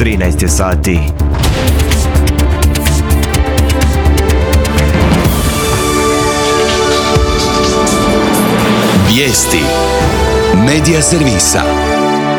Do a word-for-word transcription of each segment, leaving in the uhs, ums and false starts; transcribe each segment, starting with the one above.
trinaest je sati. Vijesti Medija servisa.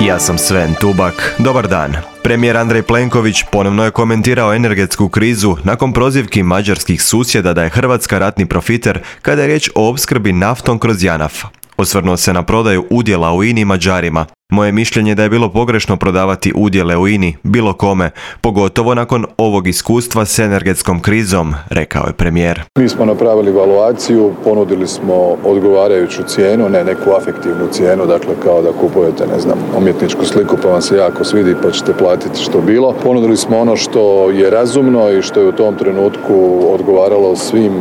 Ja sam Sven Tubak. Dobar dan. Premijer Andrej Plenković ponovno je komentirao energetsku krizu nakon prozivki mađarskih susjeda da je Hrvatska ratni profiter kada je riječ o opskrbi naftom kroz JANAF. Osvrnuo se na prodaju udjela u I N A I Mađarima. Moje mišljenje da je bilo pogrešno prodavati udjele u I N A I bilo kome, pogotovo nakon ovog iskustva s energetskom krizom, rekao je premijer. Mi smo napravili evaluaciju, ponudili smo odgovarajuću cijenu, ne neku afektivnu cijenu, dakle kao da kupujete, ne znam, umjetničku sliku pa vam se jako svidi pa ćete platiti što bilo. Ponudili smo ono što je razumno i što je u tom trenutku odgovaralo svim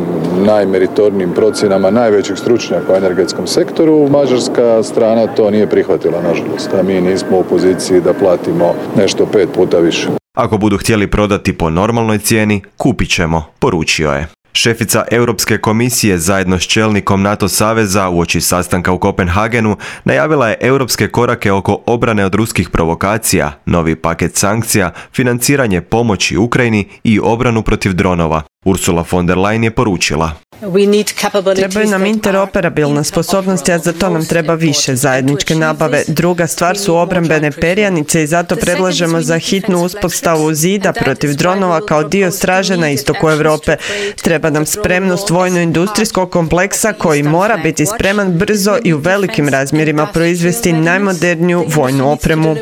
najmeritornijim procjenama najvećih stručnjaka u energetskom sektoru. Mađarska strana to nije prihvatila, nažalost. A mi nismo u poziciji da platimo nešto pet puta više. Ako budu htjeli prodati po normalnoj cijeni, kupit ćemo, poručio je. Šefica Europske komisije zajedno s čelnikom NATO saveza uoči sastanka u Kopenhagenu najavila je europske korake oko obrane od ruskih provokacija, novi paket sankcija, financiranje pomoći Ukrajini i obranu protiv dronova. Ursula von der Leyen je poručila: Trebaju nam interoperabilna sposobnosti, a za to nam treba više zajedničke nabave. Druga stvar su obrambene perjanice i zato predlažemo za hitnu uspostavu zida protiv dronova kao dio straže na istoku Europe. Treba nam spremnost vojno-industrijskog kompleksa koji mora biti spreman brzo i u velikim razmjerima proizvesti najmoderniju vojnu opremu.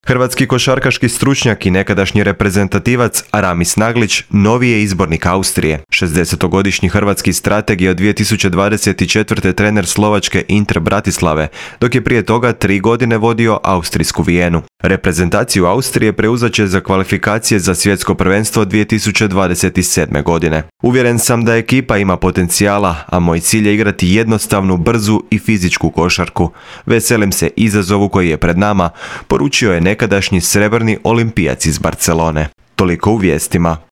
Hrvatski košarkaški stručnjak i nekadašnji reprezentativac Aramis Naglić novi je izbornik Austrije. šezdesetogodišnji hrvatski strateg je od dvije tisuće dvadeset četvrte trener slovačke Inter Bratislave, dok je prije toga tri godine vodio austrijsku Vijenu. Reprezentaciju Austrije preuzet će za kvalifikacije za svjetsko prvenstvo dvije tisuće dvadeset sedme godine. Uvjeren sam da ekipa ima potencijala, a moj cilj je igrati jednostavnu, brzu i fizičku košarku. Veselim se izazovu koji je pred nama, poručio je nekadašnji srebrni olimpijac iz Barcelone. Toliko u vijestima.